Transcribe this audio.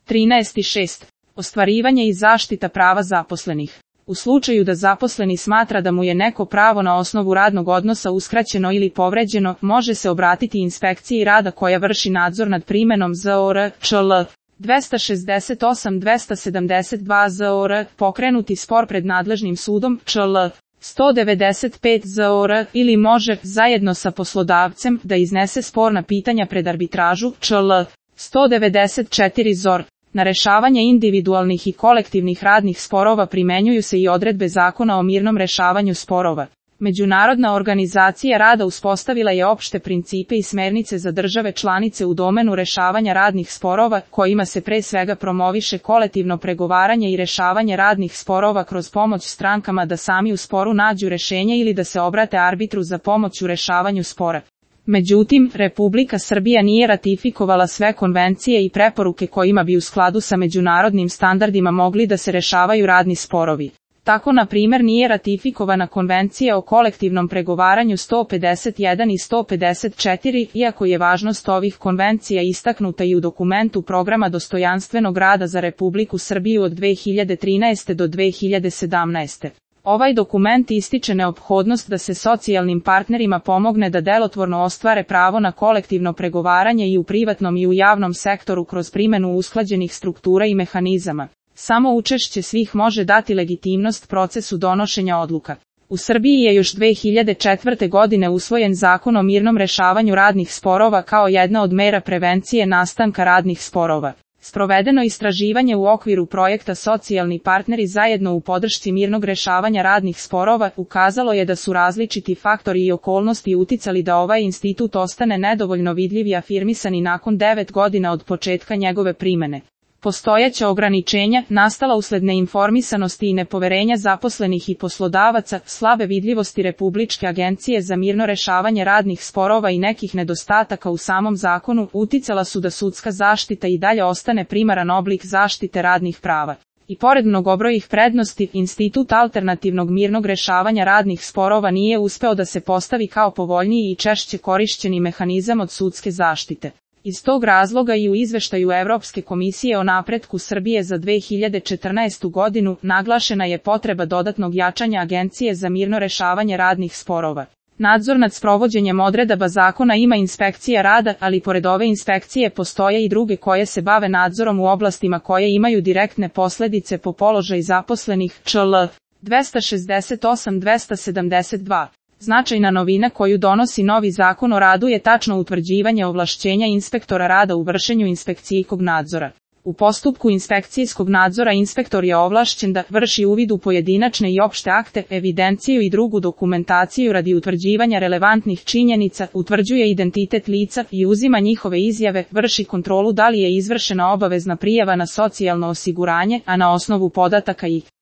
13.6. Ostvarivanje i zaštita prava zaposlenih. U slučaju da zaposleni smatra da mu je neko pravo na osnovu radnog odnosa uskraćeno ili povređeno, može se obratiti inspekciji rada koja vrši nadzor nad primenom ZOR, ČL. 268-272 ZOR, pokrenuti spor pred nadležnim sudom, ČL. 195 ZOR, ili može, zajedno sa poslodavcem, da iznese sporna pitanja pred arbitražu, ČL. 194 ZOR. Na rešavanje individualnih i kolektivnih radnih sporova primenjuju se i odredbe Zakona o mirnom rešavanju sporova. Međunarodna organizacija rada uspostavila je opšte principe i smernice za države članice u domenu rešavanja radnih sporova, kojima se pre svega promoviše kolektivno pregovaranje i rešavanje radnih sporova kroz pomoć strankama da sami u sporu nađu rešenje ili da se obrate arbitru za pomoć u rešavanju spora. Međutim, Republika Srbija nije ratifikovala sve konvencije i preporuke kojima bi u skladu sa međunarodnim standardima mogli da se rešavaju radni sporovi. Tako, na primjer, nije ratifikovana Konvencija o kolektivnom pregovaranju 151 i 154, iako je važnost ovih konvencija istaknuta i u dokumentu Programa dostojanstvenog rada za Republiku Srbiju od 2013. do 2017. Ovaj dokument ističe neophodnost da se socijalnim partnerima pomogne da delotvorno ostvare pravo na kolektivno pregovaranje i u privatnom i u javnom sektoru kroz primenu usklađenih struktura i mehanizama. Samo učešće svih može dati legitimnost procesu donošenja odluka. U Srbiji je još 2004. godine usvojen Zakon o mirnom rešavanju radnih sporova kao jedna od mera prevencije nastanka radnih sporova. Sprovedeno istraživanje u okviru projekta Socijalni partneri zajedno u podršci mirnog rešavanja radnih sporova ukazalo je da su različiti faktori i okolnosti uticali da ovaj institut ostane nedovoljno vidljiv i afirmisan i nakon 9 godina od početka njegove primene. Postojeća ograničenja, nastala usled neinformisanosti i nepoverenja zaposlenih i poslodavaca, slabe vidljivosti Republičke agencije za mirno rešavanje radnih sporova i nekih nedostataka u samom zakonu, uticala su da sudska zaštita i dalje ostane primaran oblik zaštite radnih prava. I pored mnogobrojnih prednosti, institut alternativnog mirnog rešavanja radnih sporova nije uspeo da se postavi kao povoljniji i češće korišćeni mehanizam od sudske zaštite. Iz tog razloga i u izveštaju Evropske komisije o napretku Srbije za 2014. godinu naglašena je potreba dodatnog jačanja Agencije za mirno rešavanje radnih sporova. Nadzor nad sprovođenjem odredaba zakona ima inspekcija rada, ali pored ove inspekcije postoje i druge koje se bave nadzorom u oblastima koje imaju direktne posledice po položaj zaposlenih, ČL. 268-272. Značajna novina koju donosi novi zakon o radu je tačno utvrđivanje ovlašćenja inspektora rada u vršenju inspekcijskog nadzora. U postupku inspekcijskog nadzora inspektor je ovlašćen da vrši uvid u pojedinačne i opšte akte, evidenciju i drugu dokumentaciju radi utvrđivanja relevantnih činjenica, utvrđuje identitet lica i uzima njihove izjave, vrši kontrolu da li je izvršena obavezna prijava na socijalno osiguranje, a na osnovu podataka i